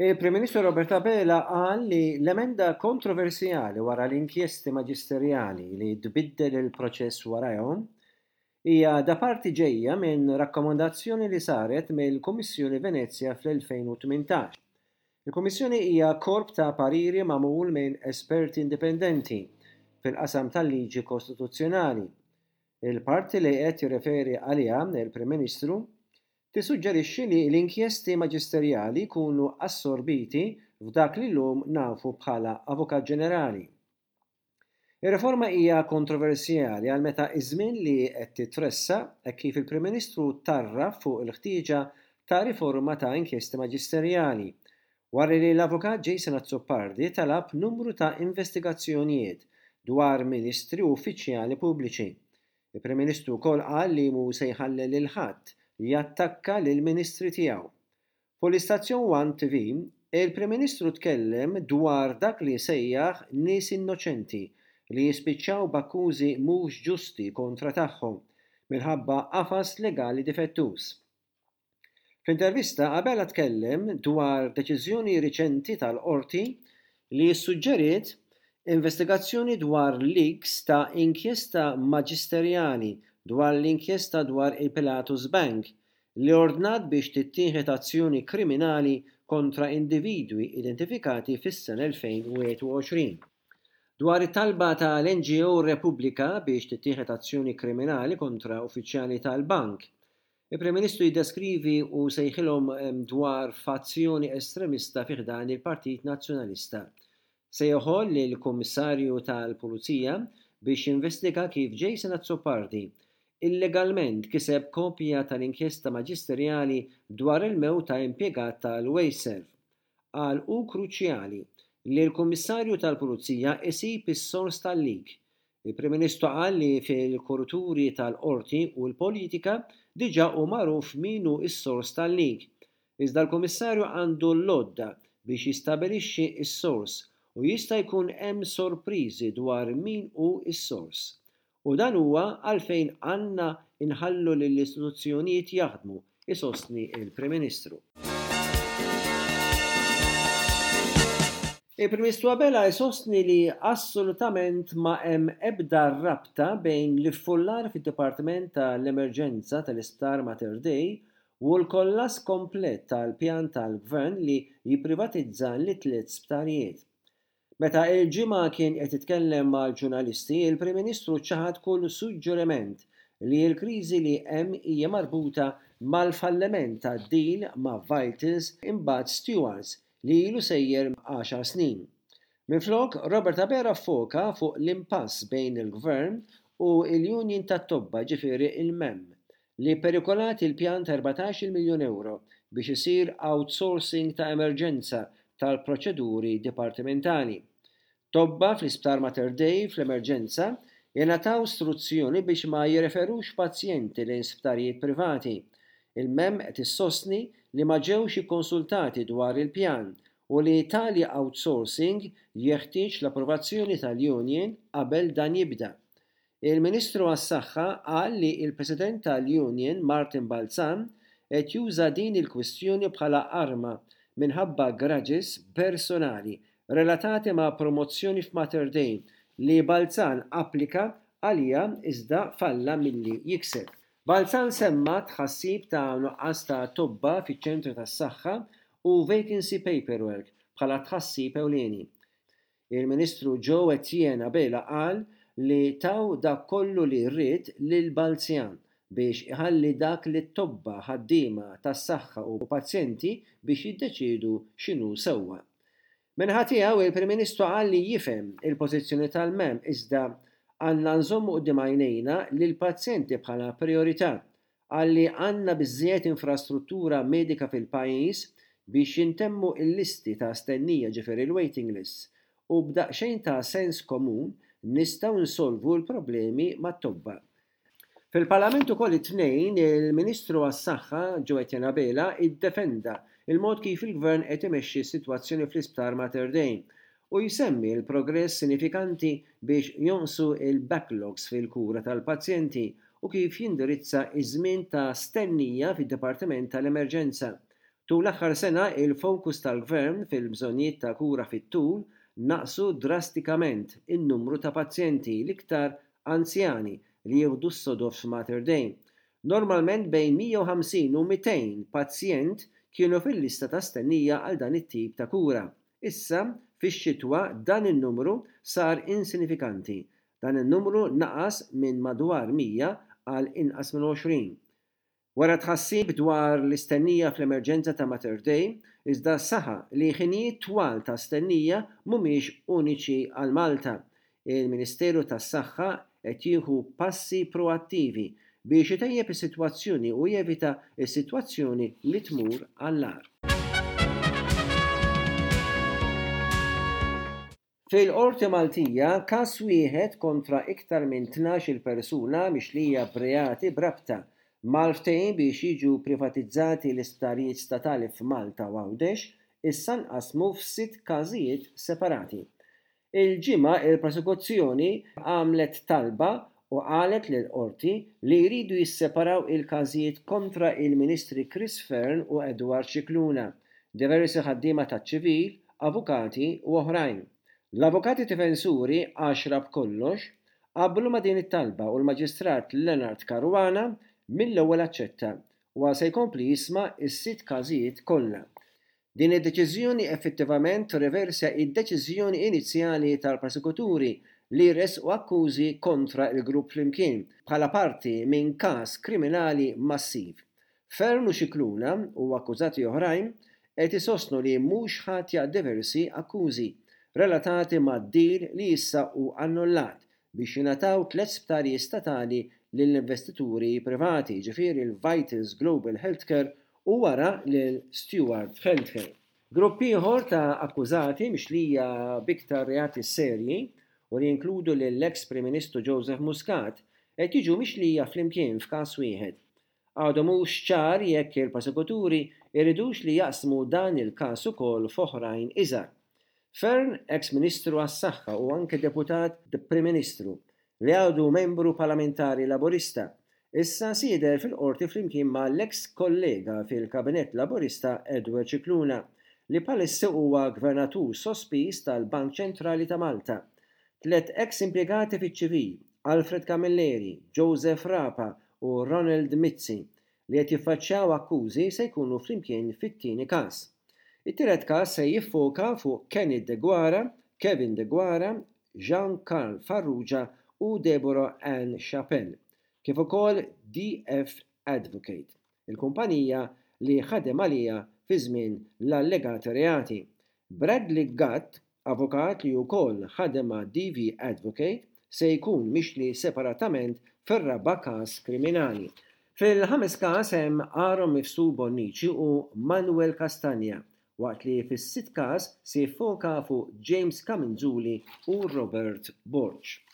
Il-Prim Ministru Robert Abela qal li l-emenda kontroversjali wara l-inkjesti maġisterjali li tbiddel il-proċess warajhom hija da parti ġejja minn rakkomandazzjoni li saret mill-Kummissjoni Venezja fl-2018. Il-Kummissjoni hija korp ta' pariri magħmul minn esperti indipendenti fil-qasam tal-liġi kostituzzjonali. Il-parti li qed jirreferi għaliha l-Prim Ministru tissuġġerixxi li l-inkjesti maġisterjali jkunu assorbiti f'dak li llum nafu bħala Avukat Ġenerali. Ir-riforma hija kontroversjali għal meta ż-żmien li qed titressaq hekk kif il-Prim Ministru tarraf fuq il-ħtieġa ta' riforma ta' inkjesti maġisterjali wara li l-Avukat Jason Azzopardi talab numru ta' investigazzjonijiet dwar Ministri u uffiċjali pubbliċi. Il-Prim Ministru wkoll qal li mhu se jħalli lil ħadd jattakka lill-Ministri tiegħu. Fuq l-istazzjon One TV, il-Prim Ministru tkellem dwar dak li sejjaħ nies innoċenti li jispiċċaw b'akkużi mhux ġusti kontra tagħhom minħabba qafas legali difettuż. Fl-intervista, Abela tkellem dwar deċiżjoni riċenti tal-Qorti li ssuġġeriet investigazzjoni dwar leaks ta' inkjesta maġisterjali dwar l-inkjesta dwar il-Pilatus Bank li ordnat biex tittieħed azzjoni kriminali kontra individwi identifikati fis-sena 2021. Dwar it-talba tal-NGO Repubblika biex tittieħed azzjoni kriminali kontra uffiċjali tal-bank, il-Prim Ministru jiddeskrivi u sejħilhom dwar fazzjoni estremista fi ħdan il-Partit Nazzjonalista. Sejjaħol lill-Kummissarju tal-Pulizija biex jinvestiga kif Jason Azzopardi illegalment kiseb kopja tal-inkjesta maġisterjali dwar il-mewt ta' impjegat tal-Wasteserv. Qal hu kruċjali li l-Kummissarju tal-Pulizija jsib is-sors tal-leak. Il-Prim Ministru qal li fil-kuruturi tal-Qorti u l-politika diġà hu magħruf min hu s-sors tal-leak Iżda l-Kummissarju għandu l-għodda biex jistabilixxi s-sors u jista' jkun hemm sorpriżi dwar min hu s-sors. U dan huwa għalfejn għandna nħallu lill-istituzzjonijiet jaħdmu, isostni l-Prim Ministru. Il-Prim Ministru Abela jsostni li assolutament ma hemm ebda rabta bejn l-iffullar fid-Dipartiment tal-Emerġenza tal-Isptar Mater Dei u l-kollass komplet tal-pjan tal-Gvern li jipprivatizza lit-tliet sptarijiet. Meta il-Ġimgħa kien qed jitkellem mal-ġurnalisti, il-Prim Ministru ċaħad kull suġġeriment li l-kriżi li hemm hija marbuta mal-falliment tad-deal ma' Vitals imbagħad Stewards li ilu sejjer għaxar snin. Minflok, Robert Abela ffoka fuq l-impass bejn il-Gvern u l-union tat-tobba jiġifieri l-MEM, li pperikolat il-pjan ta' 14-il miljun ewro biex isir outsourcing ta' emerġenza tal-proċeduri dipartimentali. Tobba fl-Isptar Mater Dei fl-emerġenza ingħataw struzzjoni biex ma jirreferux pazjenti lejn sptarijiet privati. Il-MEM qed issostni li ma ġewx ikkonsultati dwar il-pjan u li tali outsourcing jeħtieġ l-approvazzjoni tal-union qabel dan jibda. Il-Ministru għas-Saħħa qal li l-President tal-Union Martin Balzan qed juża din il-kwistjoni bħala arma minħabba grudges personali relatati ma' promozzjoni f'Mater Dei li Balzan applika għaliha iżda falla milli jikseb. Balzan semma tħassib ta' nuqqas ta' tobba fiċ-ċentri tas-saħħa u vacancy paperwork bħala tħassib ewlieni. Il-Ministru Joe Etienne Abela qal li taw dak kollu li ried lil Balzjan biex iħalli dak lit-tobba, ħaddiema tas-saħħa u pazjenti biex jiddeċiedu x'inhu sewwa. Min-naħa tiegħu, il-Prim Ministru qal li jifhem il-pożizzjoni tal-MEM iżda għandna nżommu quddiem għajnejna lill-pazjenti bħala prijorità Qal li għandna biżżejjed infrastruttura medika fil-pajjiż biex jintemmu l-listi ta' stennija ġifieri l-waiting lists u b'daqsxejn ta' sens komun nistgħu nsolvu l-problemi mat-tobba. Fil-Parlament ukoll it-Tnejn, il-Ministru għas-Saħħa, Joe Etienne Abela iddefenda l-mod kif il-Gvern qed imexxi s-sitwazzjoni fl-Isptar Mater Dei u jsemmi l-progress sinifikanti biex jonqsu l-backlogs fil-kura tal-pazjenti u kif jindirizza ż-żmien ta' stennija fid-Dipartiment tal-Emerġenza. Tul l-aħħar sena, il-fokus tal-Gvern fil-bżonnijiet ta' kura fit-tul naqsu drastikament in-numru ta' pazjenti, l-iktar anzjani, li jieħdu s-sodod f'Mater Dei. Normalment bejn 150 u 200 pazjent kienu fil-lista ta' stennija għal dan it-tip ta' kura. Issa, fix-xitwa, dan in-numru sar insinifikanti. Dan in-numru naqas minn madwar 100 għal inqas minn 20. Wera tħassib dwar l-istennija fl-emerġenza ta' Mater Dei, iżda saħaq li ħinijiet twal ta' stennija mhumiex uniċi għal Malta. Il-Ministeru tas-Saħħa qed jieħu passi proattivi biex itejjeb is-sitwazzjoni u jevita s-sitwazzjoni li tmur għall-agħar. Fil-Qorti Maltija, każ wieħed kontra iktar minn 12-il persuna mixlija b'reati b'rabta mal-ftehim biex jiġu privatizzati l-isptarijiet statali f'Malta u Għawdex issa nqasmu f'sitt każijiet separati. Il-Ġimgħa il-Prosekuzzjoni għamlet talba u qalet lill-Qorti li jridu jisseparaw il-każijiet kontra il-Ministri Chris Fearne u Edward Scicluna, diversi ħaddiema taċ-ċivil, avukati u oħrajn. L-avukati difensuri, għaxra b'kollox, qablu ma' din it-talba u l-Maġistrat Leonard Caruana mill-ewwel aċċetta u se jkompli jisma' s-sitt każijiet kollha. Din id-deċiżjoni effettivament tirriversja d-deċiżjoni inizjali tal-prosekuturi li jressqu akkużi kontra l-grupp flimkien bħala parti minn każ kriminali massiv. Fearne u Scicluna u akkużati oħrajn qed isostnu li mhux ħatja diversi akkużi relatati mad-deal li issa hu annullat biex jingħataw tlett sptarijiet statali lil investituri privati, jiġifieri l-Vitals Global Healthcare u wara lil Steward Healthcare. Grupp ieħor ta' akkużati mixlija b'iktar reati serji u li jinkludu lill-eks Prim Ministru Joseph Muscat qed jiġu mixlija flimkien f'każ wieħed. Għadu mhux ċar jekk il-prosekuturi jridux li jaqsmu dan il-każ ukoll f'oħrajn iżgħar. Fearne, eks Ministru għas-Saħħa u anke Deputat Prim Ministru, li għadu membru parlamentari Laburista, issa se jidher fil-Qorti flimkien ma' l-eks kollega fil-Kabinett Laburista Edward Scicluna, li bħalissa huwa Gvernatur sospiż tal-Bank Ċentrali ta' Malta. Tlett eks impjegati fiċ-ċivil, Alfred Camilleri, Joseph Rapa u Ronald Mizzi, li qed jiffaċċjaw akkużi se jkunu flimkien fit-tieni każ. It-tielet każ se jiffoka fuq Kenneth Deguara, Kevin Deguara, Jean Carl Farrugia u Deborah Ann Chapelle, kif ukoll DF Advocate, il-kumpanija li ħadem għaliha fi żmien l-allegati reati. Bradley Gatt, avukat li wkoll ħadem ma' DV Advocate, se jkun mixli separatament fir-raba' każ kriminali. Fil-ħames każ hemm Aaron Mifsud Bonnici u Manuel Castagna, waqt li fis-sitt każ se jiffoka fuq James Camenzuli u Robert Borg.